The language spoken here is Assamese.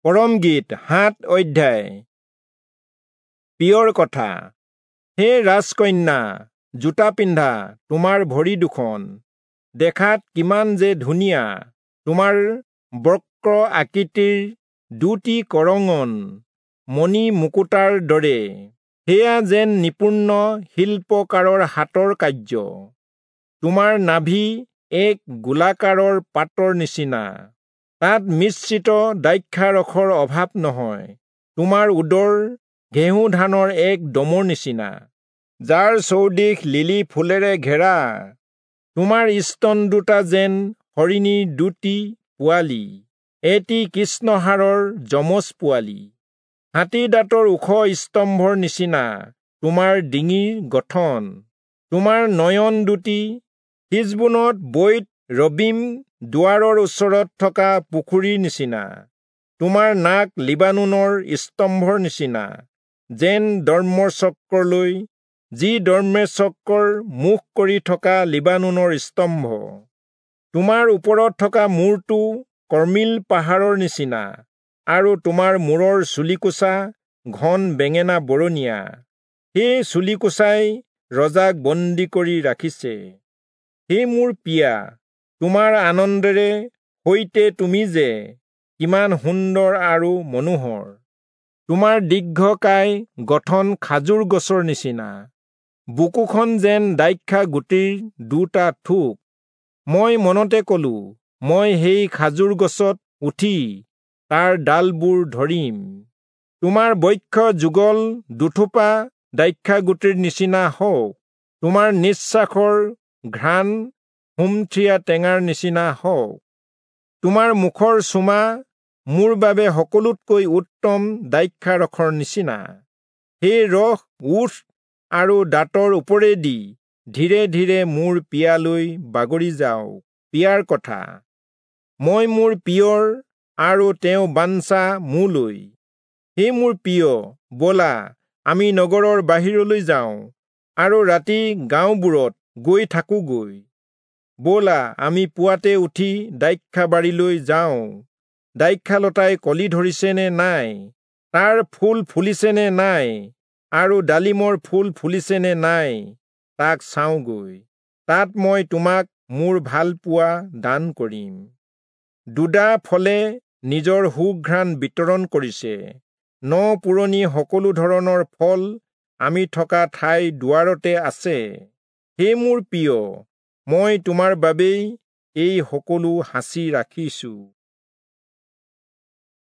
পৰমগীত 7 অধ্যায়। পিয়ৰ কথা। হে ৰাজকন্যা, জোতা পিন্ধা তোমাৰ ভৰি দুখন দেখাত কিমান যে ধুনীয়া! তোমাৰ বক্ৰ আকৃতিৰ দুটি কৰঙন মণি মুকুতাৰ দৰে, সেয়া যেন নিপুণ শিল্পকাৰৰ হাতৰ কাৰ্য। তোমাৰ নাভি এক গোলাকাৰৰ পাতৰ নিচিনা, তাত মিশ্ৰিত দ্ৰাক্ষাৰসৰ অভাৱ নহয়। তোমাৰ উদৰ ঘেঁহু ধানৰ এক দমৰ নিচিনা, যাৰ চৌদিশ লিলি ফুলেৰে ঘেৰা। তোমাৰ স্তন দুটা যেন হৰিণীৰ দুটি পোৱালি, এটি কৃষ্ণহাৰৰ যমজ পোৱালি। হাতী দাঁতৰ ওখ স্তম্ভৰ নিচিনা তোমাৰ ডিঙিৰ গঠন। তোমাৰ নয়ন দুটি হিচবোনত বৈত ৰবীম দুৱাৰৰ ওচৰত থকা পুখুৰীৰ নিচিনা। তোমাৰ নাক লিবানোনৰ স্তম্ভৰ নিচিনা, যেন দৰ্মচক্ৰলৈ, যি দৰ্মচক্ৰৰ মুখ কৰি থকা লিবানোনৰ স্তম্ভ। তোমাৰ ওপৰত থকা মূৰটো কৰ্মিল পাহাৰৰ নিচিনা, আৰু তোমাৰ মূৰৰ চুলিকোচা ঘন বেঙেনা বৰণীয়া। সেই চুলিকোচাই ৰজাক বন্দী কৰি ৰাখিছে। হে মোৰ পিয়া, তোমাৰ আনন্দেৰে সৈতে তুমি যে কিমান সুন্দৰ আৰু মনোহৰ! তোমাৰ দীৰ্ঘকায় গঠন খাজুৰ গছৰ নিচিনা, বুকুখন যেন দ্ৰাক্ষা গুটিৰ দুটা থোক। মই মনতে কলো, মই সেই খাজুৰ গছত উঠি তাৰ ডালবোৰ ধৰিম। তোমাৰ বক্ষ যুগল দুথোপা দ্ৰাক্ষাগুটিৰ নিচিনা হওক, তোমাৰ নিশ্বাসৰ ঘ্ৰাণ সুমথিৰা টেঙাৰ নিচিনা হওক। তোমাৰ মুখৰ চুমা মোৰ বাবে সকলোতকৈ উত্তম দ্ৰাক্ষাৰসৰ নিচিনা। সেই ৰস ওঁঠ আৰু দাঁতৰ ওপৰেদি ধীৰে ধীৰে মোৰ পিয়ালৈ বাগৰি যাওক। পিয়াৰ কথা। মই মোৰ পিয়ৰ আৰু তেওঁ বাঞ্ছা মোলৈ। হে মোৰ প্ৰিয়, ব'লা আমি নগৰৰ বাহিৰলৈ যাওঁ আৰু ৰাতি গাঁওবোৰত গৈ থাকোঁগৈ। ব'লা আমি পুৱাতে উঠি দ্ৰাক্ষাবাৰীলৈ যাওঁ। দ্ৰাক্ষালতাই কলি ধৰিছে নে নাই, তাৰ ফুল ফুলিছে নে নাই, আৰু ডালিমৰ ফুল ফুলিছে নে নাই, তাক চাওঁগৈ। তাত মই তোমাক মোৰ ভালপোৱা দান কৰিম। দুদা ফলে নিজৰ সুঘ্ৰাণ বিতৰণ কৰিছে। ন পুৰণি সকলো ধৰণৰ ফল আমি থকা ঠাই দুৱাৰতে আছে। হে মোৰ প্ৰিয়, মই তোমাৰ বাবেই এই সকলো সাঁচি ৰাখিছোঁ।